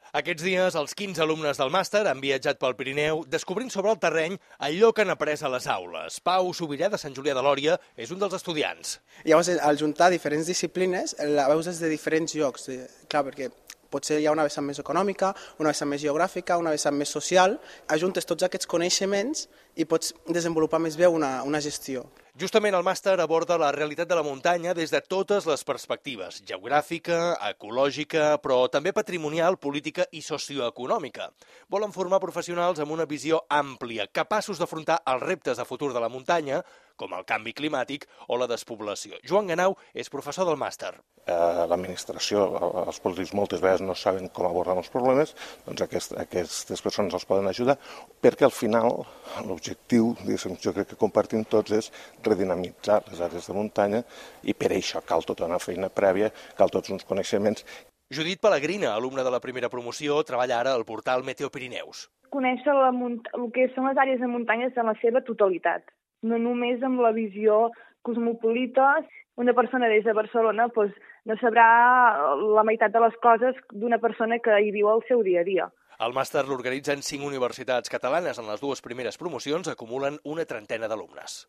Aquests dies, els 15 alumnes del màster han viatjat pel Pirineu descobrint sobre el terreny allò que han après a les aules. Pau Subirà, de Sant Julià de Lòria, és un dels estudiants. Llavors, al juntar diferents disciplines, la veus des de diferents llocs. Clar, perquè potser hi ha una vessant més econòmica, una vessant més geogràfica, una vessant més social. Ajuntes tots aquests coneixements i pots desenvolupar més bé una gestió. Justament el màster aborda la realitat de la muntanya des de totes les perspectives, geogràfica, ecològica, però també patrimonial, política i socioeconòmica. Volen formar professionals amb una visió àmplia, capaços d'afrontar els reptes de futur de la muntanya, com el canvi climàtic o la despoblació. Joan Ganau és professor del màster. L'administració, els polítics moltes vegades no saben com abordar els problemes, doncs aquestes persones els poden ajudar, perquè al final l'objectiu, jo crec que compartim tots, és redinamitzar les àrees de muntanya i per això cal tota una feina prèvia, cal tots uns coneixements. Judit Pellegrina, alumne de la primera promoció, treballa ara al portal Meteo Pirineus. Conèixer el que són les àrees de muntanyes en la seva totalitat, no només amb la visió cosmopolita. Una persona des de Barcelona no sabrà la meitat de les coses d'una persona que hi viu al seu dia a dia. El màster l'organitzen 5 universitats catalanes. En les dues primeres promocions acumulen una trentena d'alumnes.